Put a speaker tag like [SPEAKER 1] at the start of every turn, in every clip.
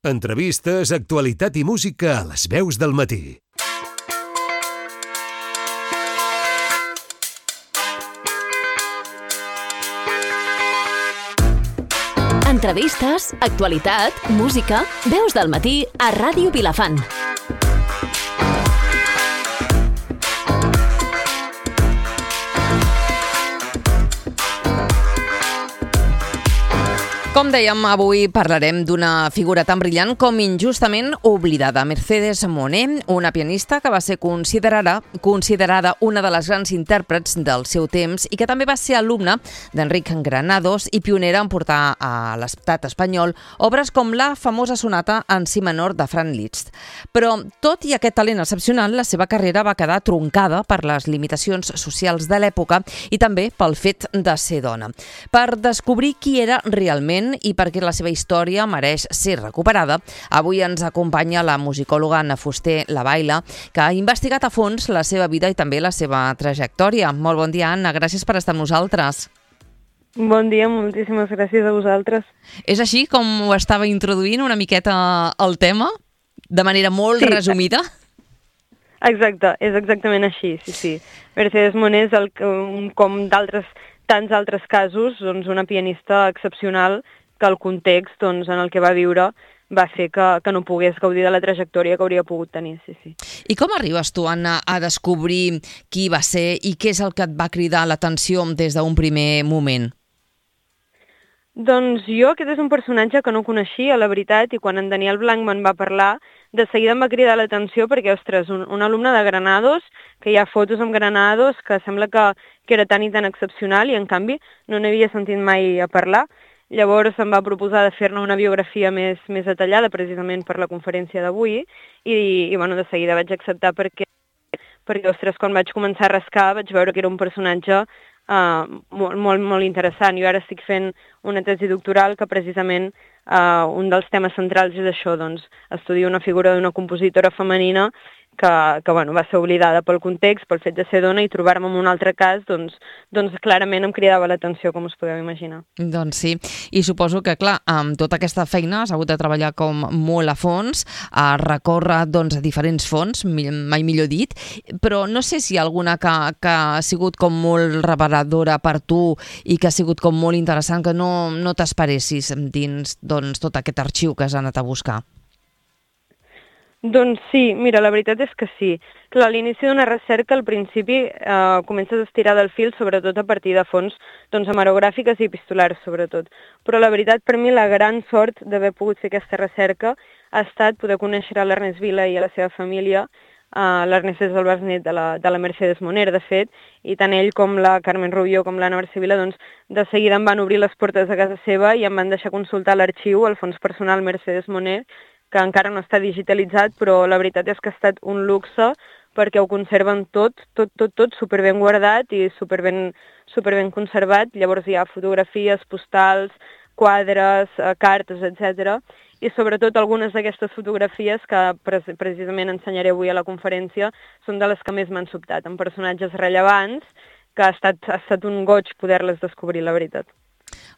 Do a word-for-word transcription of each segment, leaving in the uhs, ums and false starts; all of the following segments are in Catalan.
[SPEAKER 1] Entrevistes, actualitat i música a les veus del matí.
[SPEAKER 2] Entrevistes, actualitat, música, veus del matí a Ràdio Vilafant. Com dèiem, avui parlarem d'una figura tan brillant com injustament oblidada. Mercedes Moné, una pianista que va ser considerada, considerada una de les grans intèrprets del seu temps i que també va ser alumna d'Enric Granados i pionera en portar a l'estat espanyol obres com la famosa sonata en si menor de Franz Liszt. Però, tot i aquest talent excepcional, la seva carrera va quedar truncada per les limitacions socials de l'època i també pel fet de ser dona. Per descobrir qui era realment i perquè la seva història mereix ser recuperada, avui ens acompanya la musicòloga Anna Fuster Lavaila, que ha investigat a fons la seva vida i també la seva trajectòria. Molt bon dia, Anna, gràcies per estar amb nosaltres.
[SPEAKER 3] Bon dia, moltíssimes gràcies a vosaltres.
[SPEAKER 2] És així com ho estava introduint una miqueta el tema, de manera molt
[SPEAKER 3] sí,
[SPEAKER 2] resumida?
[SPEAKER 3] Exacte, és exactament així, sí, sí. Mercedes Moné és el, com d'altres tants altres casos, doncs una pianista excepcional que el context doncs, en el que va viure va fer que, que no pogués gaudir de la trajectòria que hauria pogut tenir. Sí, sí.
[SPEAKER 2] I com arribes tu, Anna, a descobrir qui va ser i què és el que et va cridar l'atenció des d'un primer moment?
[SPEAKER 3] Doncs jo, aquest és un personatge que no coneixia, la veritat, i quan en Daniel Blanc me'n va parlar, de seguida em va cridar l'atenció perquè, ostres, un, un alumne de Granados, que hi ha fotos amb Granados, que sembla que, que era tan i tan excepcional, i en canvi no n'havia sentit mai a parlar. Llavors em va proposar de fer-ne una biografia més, més detallada, precisament per la conferència d'avui, i, i bueno, de seguida vaig acceptar perquè, perquè, ostres, quan vaig començar a rascar vaig veure que era un personatge Uh, molt, molt, molt interessant. Jo ara estic fent una tesi doctoral que precisament uh, un dels temes centrals és això, doncs, estudio una figura d'una compositora femenina que, que bueno, va ser oblidada pel context, pel fet de ser dona, i trobar-me en un altre cas, doncs, doncs clarament em cridava l'atenció, com us podeu imaginar.
[SPEAKER 2] Doncs sí, i suposo que, clar, amb tota aquesta feina has hagut de treballar com molt a fons, a recórrer doncs, a diferents fonts, mai millor dit, però no sé si hi ha alguna que, que ha sigut com molt reveladora per tu i que ha sigut com molt interessant, que no, no t'esperessis dins doncs, tot aquest arxiu que has anat a buscar.
[SPEAKER 3] Doncs sí, mira, la veritat és que sí. Clar, a l'inici d'una recerca, al principi, eh, comences a estirar del fil, sobretot a partir de fonts doncs, hemerogràfiques i epistolars, sobretot. Però la veritat, per mi, la gran sort d'haver pogut fer aquesta recerca ha estat poder conèixer a l'Ernest Vila i a la seva família. Uh, L'Ernest és el besnet de la, de la Mercedes Moné, de fet, i tant ell com la Carmen Rubió com l'Anna Barcivila, doncs, de seguida em van obrir les portes de casa seva i em van deixar consultar l'arxiu, el fons personal Mercedes Moné, que encara no està digitalitzat, però la veritat és que ha estat un luxe perquè ho conserven tot, tot, tot, tot superben guardat i superben, superben conservat. Llavors hi ha fotografies, postals, quadres, eh, cartes, etcètera. I sobretot algunes d'aquestes fotografies que pre precisament ensenyaré avui a la conferència són de les que més m'han sobtat, amb personatges rellevants, que ha estat, ha estat un goig poder-les descobrir, la veritat.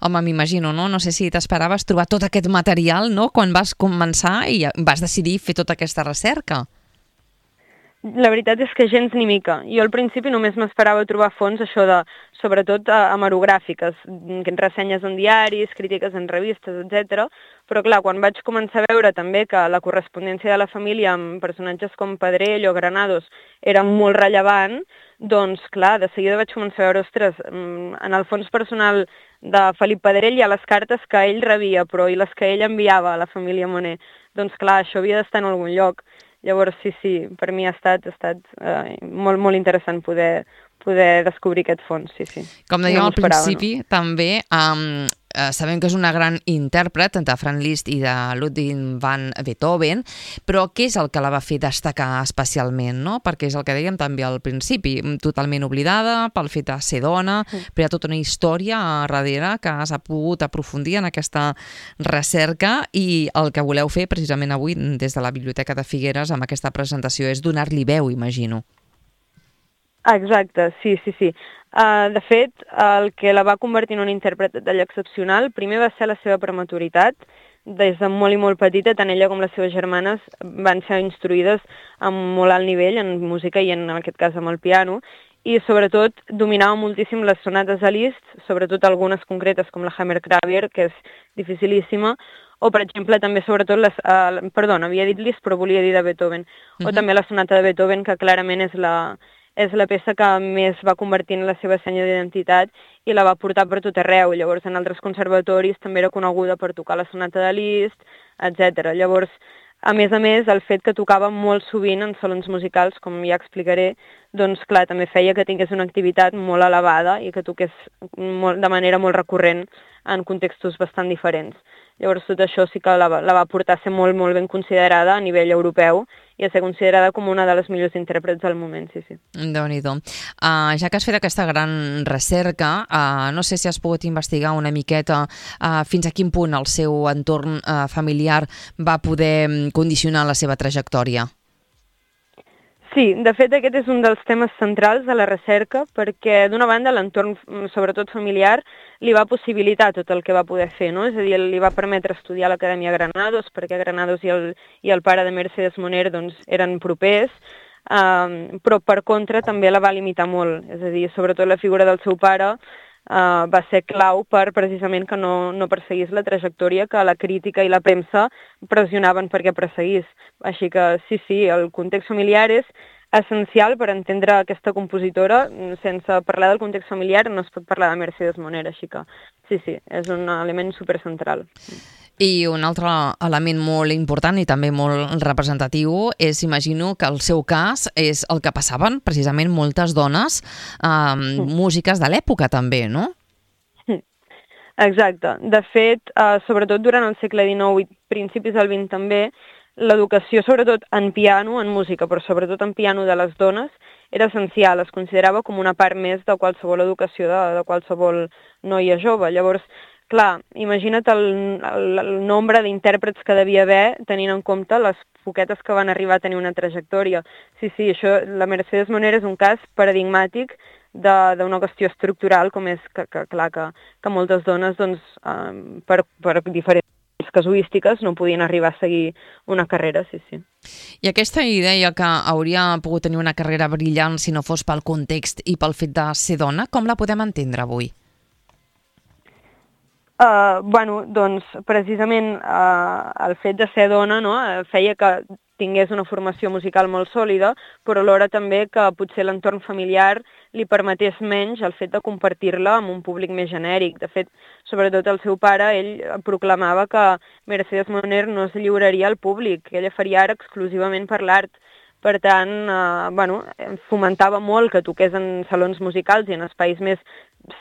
[SPEAKER 2] Home, m'imagino, no? No sé si t'esperaves trobar tot aquest material, no?, quan vas començar i vas decidir fer tota aquesta recerca.
[SPEAKER 3] La veritat és que gens ni mica. Jo al principi només m'esperava trobar fonts, això de, sobretot, hemerogràfiques, ressenyes en diaris, crítiques en revistes, etcètera. Però clar, quan vaig començar a veure també que la correspondència de la família amb personatges com Pedrell o Granados era molt rellevant, doncs clar, de seguida vaig començar a veure, ostres, en el fons personal de Felip Pedrell hi ha les cartes que ell rebia, però i les que ell enviava a la família Moné. Doncs clar, això havia d'estar en algun lloc. Llavors, sí, sí, per mi ha estat, ha estat eh, molt, molt interessant poder, poder descobrir aquest fons, sí, sí.
[SPEAKER 2] Com dèiem no al principi, no? també um, eh, sabem que és una gran intèrpret de Franz Liszt i de Ludwig van Beethoven, però què és el que la va fer destacar especialment, no? Perquè és el que dèiem també al principi, totalment oblidada pel fet de ser dona, mm. però hi ha tota una història a darrere que has pogut aprofundir en aquesta recerca i el que voleu fer precisament avui des de la Biblioteca de Figueres amb aquesta presentació és donar-li veu, imagino.
[SPEAKER 3] Exacte, sí, sí, sí. Uh, de fet, el que la va convertir en una intèrpret de talla excepcional, primer va ser la seva prematuritat. des de molt i molt petita, tant ella com les seves germanes van ser instruïdes a molt alt nivell en música i en, en aquest cas amb el piano, i sobretot dominava moltíssim les sonates a Liszt, sobretot algunes concretes com la Hammerklavier, que és dificilíssima, o per exemple també sobretot, les, uh, perdona, havia dit Liszt però volia dir de Beethoven, uh-huh. o també la sonata de Beethoven, que clarament és la, és la peça que més va convertir en la seva senya d'identitat i la va portar per tot arreu. Llavors en altres conservatoris també era coneguda per tocar la sonata de Liszt, etcètera. Llavors, a més a més, el fet que tocava molt sovint en salons musicals, com ja explicaré, doncs clar, també feia que tingués una activitat molt elevada i que toqués molt, de manera molt recurrent en contextos bastant diferents. Llavors tot això sí que la, la va portar a ser molt, molt ben considerada a nivell europeu i a ser considerada com una de les millors intèrprets del moment, sí, sí.
[SPEAKER 2] Déu-n'hi-do. Uh, ja que has fet aquesta gran recerca, uh, no sé si has pogut investigar una miqueta uh, fins a quin punt el seu entorn uh, familiar va poder condicionar la seva trajectòria.
[SPEAKER 3] Sí, de fet aquest és un dels temes centrals de la recerca perquè d'una banda l'entorn, sobretot familiar, li va possibilitar tot el que va poder fer, no? És a dir, li va permetre estudiar a l'Acadèmia Granados perquè Granados i el, i el pare de Mercedes Moner doncs, eren propers, um, però per contra també la va limitar molt, és a dir, sobretot la figura del seu pare Uh, va ser clau per precisament que no, no perseguís la trajectòria que la crítica i la premsa pressionaven perquè perseguís. Així que sí, sí, el context familiar és essencial per entendre aquesta compositora. Sense parlar del context familiar no es pot parlar de Mercedes Moner, així que sí, sí, és un element supercentral.
[SPEAKER 2] I un altre element molt important i també molt representatiu és, imagino, que el seu cas és el que passaven precisament moltes dones eh, mm. músiques de l'època també, no?
[SPEAKER 3] Exacte. De fet, eh, sobretot durant el segle dinou i principis del vint també, l'educació, sobretot en piano, en música, però sobretot en piano de les dones, era essencial, es considerava com una part més de qualsevol educació de, de qualsevol noia jove. Llavors, clar, imagina't el, el, el nombre d'intèrprets que devia haver tenint en compte les poquetes que van arribar a tenir una trajectòria. Sí, sí, això, la Mercedes Moner és un cas paradigmàtic d'una qüestió estructural, com és que, que clar, que, que moltes dones, doncs, um, per, per diferents casuístiques, no podien arribar a seguir una carrera, sí, sí.
[SPEAKER 2] I aquesta idea que hauria pogut tenir una carrera brillant si no fos pel context i pel fet de ser dona, com la podem entendre avui?
[SPEAKER 3] Uh, bueno, doncs precisament uh, el fet de ser dona, no, feia que tingués una formació musical molt sòlida, però alhora també que potser l'entorn familiar li permetés menys el fet de compartir-la amb un públic més genèric. De fet, sobretot el seu pare, ell proclamava que Mercedes Moner no es lliuraria al públic, que ella faria art exclusivament per l'art. Per tant, eh, bueno, fomentava molt que toqués en salons musicals i en espais més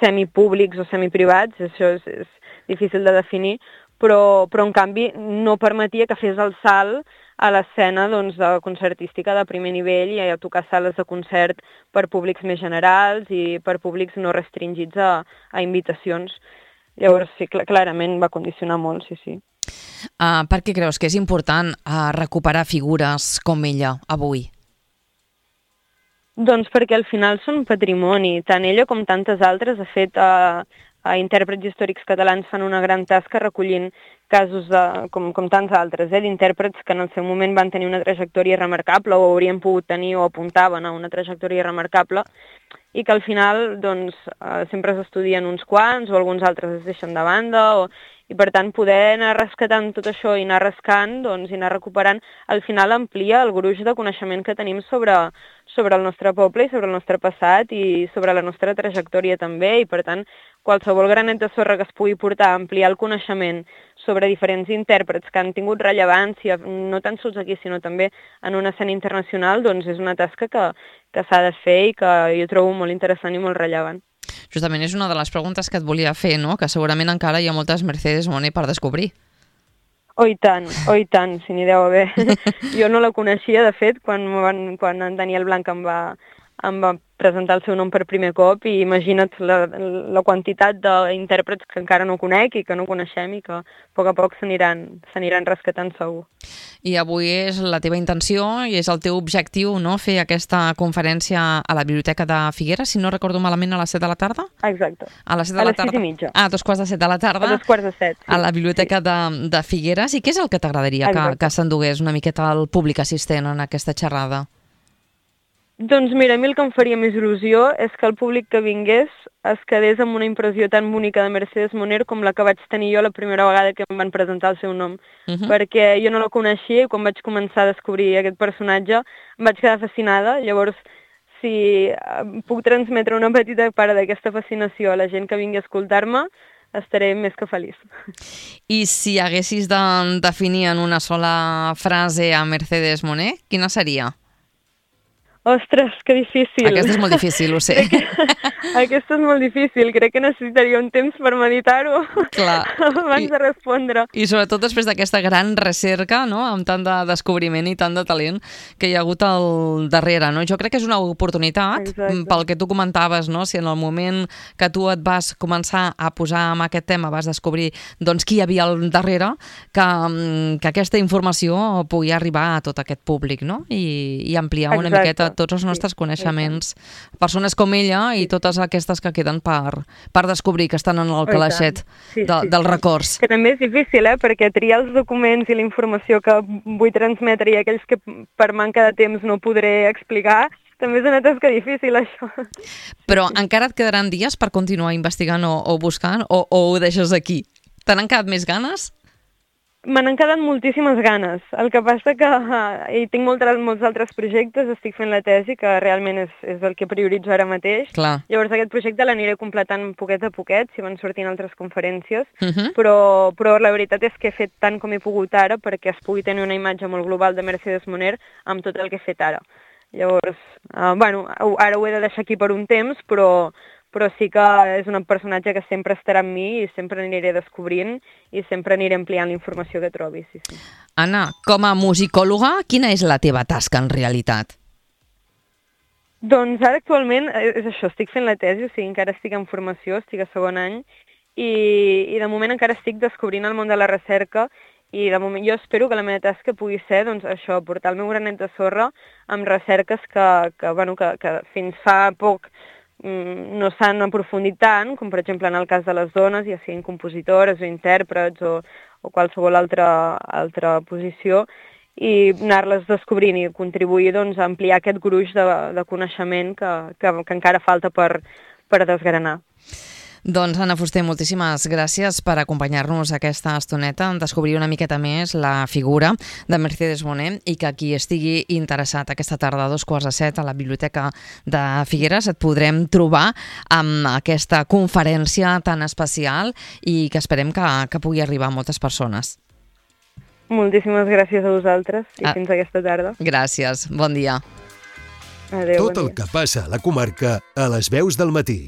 [SPEAKER 3] semipúblics o semiprivats, això és, és difícil de definir, però, però en canvi no permetia que fes el salt a l'escena doncs, de concertística de primer nivell i a tocar sales de concert per públics més generals i per públics no restringits a, a invitacions. Llavors, sí, cl- clarament va condicionar molt, sí, sí.
[SPEAKER 2] Uh, per què creus que és important uh, recuperar figures com ella avui?
[SPEAKER 3] Doncs perquè al final són patrimoni. Tant ella com tantes altres, de fet, a, a intèrprets històrics catalans fan una gran tasca recollint casos de, com, com tants altres, eh, d'intèrprets que en el seu moment van tenir una trajectòria remarcable o haurien pogut tenir o apuntaven a una trajectòria remarcable i que al final doncs, eh, sempre s'estudien uns quants o alguns altres es deixen de banda o i per tant poder anar rescatant tot això i anar rascant doncs, i anar recuperant, al final amplia el gruix de coneixement que tenim sobre, sobre el nostre poble i sobre el nostre passat i sobre la nostra trajectòria també i per tant qualsevol granet de sorra que es pugui portar a ampliar el coneixement sobre diferents intèrprets que han tingut rellevància, no tan sols aquí sinó també en una escena internacional, doncs és una tasca que, que s'ha de fer i que jo trobo molt interessant i molt rellevant.
[SPEAKER 2] Justament és una de les preguntes que et volia fer, no? Que segurament encara hi ha moltes Mercedes Moner per descobrir.
[SPEAKER 3] Oh, i tant, oh, i tant, si n'hi deu haver. Jo no la coneixia, de fet, quan, van, quan en Daniel Blanc em va, em va presentar el seu nom per primer cop i imagina't la, la quantitat d'intèrprets que encara no conec i que no coneixem i que a poc a poc s'aniran s'aniran rescatant segur.
[SPEAKER 2] I avui és la teva intenció i és el teu objectiu, no?, fer aquesta conferència a la Biblioteca de Figueres, si no recordo malament, a les set de la tarda?
[SPEAKER 3] Exacte.
[SPEAKER 2] A les set de
[SPEAKER 3] a
[SPEAKER 2] la
[SPEAKER 3] les
[SPEAKER 2] tarda.
[SPEAKER 3] sis i mitja.
[SPEAKER 2] Ah, a dos quarts de set de la tarda.
[SPEAKER 3] A dos quarts de set. Sí.
[SPEAKER 2] A la Biblioteca sí. de, de Figueres. I què és el que t'agradaria que, que s'endugués una miqueta al públic assistent en aquesta xerrada?
[SPEAKER 3] Doncs mira, a mi el que em faria més il·lusió és que el públic que vingués es quedés amb una impressió tan bonica de Mercedes Moner com la que vaig tenir jo la primera vegada que em van presentar el seu nom. Uh -huh. Perquè jo no la coneixia i quan vaig començar a descobrir aquest personatge em vaig quedar fascinada. Llavors, si puc transmetre una petita part d'aquesta fascinació a la gent que vingui a escoltar-me, estaré més que feliç.
[SPEAKER 2] I si haguessis de definir en una sola frase a Mercedes Moner, quina seria?
[SPEAKER 3] Ostres, que difícil.
[SPEAKER 2] Aquesta és molt difícil, ho sé.
[SPEAKER 3] Que... Aquesta és molt difícil. Crec que necessitaria un temps per meditar-ho abans I, de respondre.
[SPEAKER 2] I sobretot després d'aquesta gran recerca, no?, amb tant de descobriment i tant de talent que hi ha hagut al darrere, no? Jo crec que és una oportunitat. Exacte. Pel que tu comentaves, no?, si en el moment que tu et vas començar a posar amb aquest tema vas descobrir doncs qui hi havia al darrere, que, que aquesta informació pugui arribar a tot aquest públic, no?, i, i ampliar una Exacte. miqueta tots els nostres sí, coneixements. Sí. Persones com ella i totes aquestes que queden per, per descobrir, que estan en el calaixet sí, de, sí, dels records.
[SPEAKER 3] Que també és difícil, eh? Perquè triar els documents i la informació que vull transmetre i aquells que per manca de temps no podré explicar, també és una tasca difícil, això.
[SPEAKER 2] Però sí. encara et quedaran dies per continuar investigant o, o buscant, o, o ho deixes aquí? Te n'han quedat més ganes?
[SPEAKER 3] Me n'han quedat moltíssimes ganes. El que passa que uh, hi tinc molts, molts altres projectes, estic fent la tesi, que realment és, és el que prioritzo ara mateix.
[SPEAKER 2] Clar.
[SPEAKER 3] Llavors aquest projecte l'aniré completant poquet a poquet, si van sortint altres conferències,
[SPEAKER 2] uh -huh.
[SPEAKER 3] però, però la veritat és que he fet tant com he pogut ara perquè es pugui tenir una imatge molt global de Mercedes Moner amb tot el que he fet ara. Llavors, uh, bueno, ara ho he de deixar aquí per un temps, però... però sí que és un personatge que sempre estarà amb mi i sempre aniré descobrint i sempre aniré ampliant la informació que trobi. Sí, sí.
[SPEAKER 2] Anna, com a musicòloga, quina és la teva tasca en realitat?
[SPEAKER 3] Doncs ara actualment és això, estic fent la tesi, o sigui, encara estic en formació, estic a segon any i, i de moment encara estic descobrint el món de la recerca i de moment jo espero que la meva tasca pugui ser doncs, això, portar el meu granet de sorra amb recerques que, que, bueno, que, que fins fa poc no s'han aprofundit tant, com per exemple en el cas de les dones, ja siguin compositores o intèrprets o, o qualsevol altra, altra posició, i anar-les descobrint i contribuir doncs, a ampliar aquest gruix de, de coneixement que, que, que encara falta per, per desgranar.
[SPEAKER 2] Doncs, Anna Fuster, moltíssimes gràcies per acompanyar-nos aquesta estoneta, en descobrir una miqueta més la figura de Mercedes Moner i que qui estigui interessat aquesta tarda a dos quarts de set a la Biblioteca de Figueres et podrem trobar amb aquesta conferència tan especial i que esperem que, que pugui arribar a moltes persones.
[SPEAKER 3] Moltíssimes gràcies a vosaltres i ah, fins aquesta tarda.
[SPEAKER 2] Gràcies, bon dia.
[SPEAKER 3] Adéu,
[SPEAKER 1] Tot
[SPEAKER 3] bon
[SPEAKER 1] el
[SPEAKER 3] dia.
[SPEAKER 1] que passa a la comarca a les veus del matí.